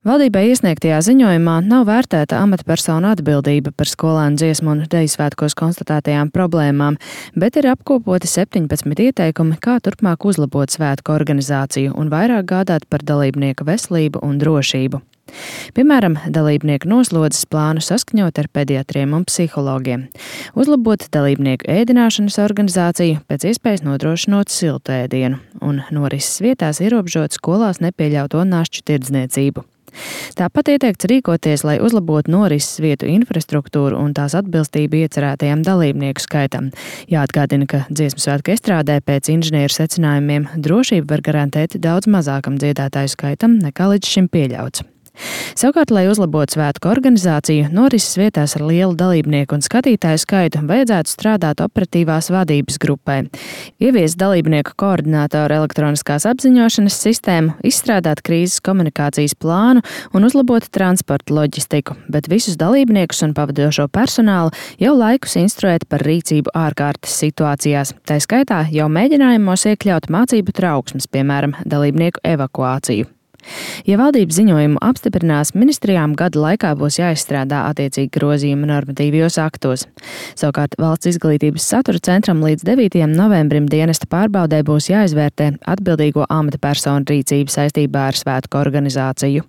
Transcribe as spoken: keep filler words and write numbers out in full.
Valdībai iesniegtajā ziņojumā nav vērtēta amatpersonu atbildība par skolēnu dziesmu un deju svētkos konstatētajām problēmām, bet ir apkopoti septiņpadsmit ieteikumi, kā turpmāk uzlabot svētku organizāciju un vairāk gādāt par dalībnieku veselību un drošību. Piemēram, dalībnieku noslodzes plānu saskaņot ar pediatriem un psihologiem, uzlabot dalībnieku ēdināšanas organizāciju, pēc iespējas nodrošinot siltu ēdienu, un norises vietās ierobežot skolās nepieļauto našķu tirdzniecību. Tāpat ieteikts rīkoties, lai uzlabotu norises vietu infrastruktūru un tās atbilstību iecerētajam dalībnieku skaitam. Jāatgādina, ka dziesmu svētku estrādē pēc inženieru secinājumiem drošību var garantēt daudz mazākam dziedātāju skaitam nekā līdz šim pieļauts. Savukārt, lai uzlabotu svētku organizāciju, norises vietās ar lielu dalībnieku un skatītāju skaitu vajadzētu strādāt operatīvās vadības grupai, ieviest dalībnieku koordinātoru elektroniskās apziņošanas sistēmu, izstrādāt krīzes komunikācijas plānu un uzlabot transporta loģistiku, bet visus dalībniekus un pavadošo personālu jau laikus instruēt par rīcību ārkārtas situācijās, tā skaitā jau mēģinājumos iekļaut mācību trauksmes, piemēram, dalībnieku evakuāciju. Ja valdības ziņojumu apstiprinās, ministrijām gada laikā būs jāizstrādā attiecīgi grozījumi normatīvajos aktos. Savukārt Valsts izglītības satura centram līdz devītajam novembrim dienesta pārbaudē būs jāizvērtē atbildīgo amatpersonu rīcība saistībā ar svētku organizāciju.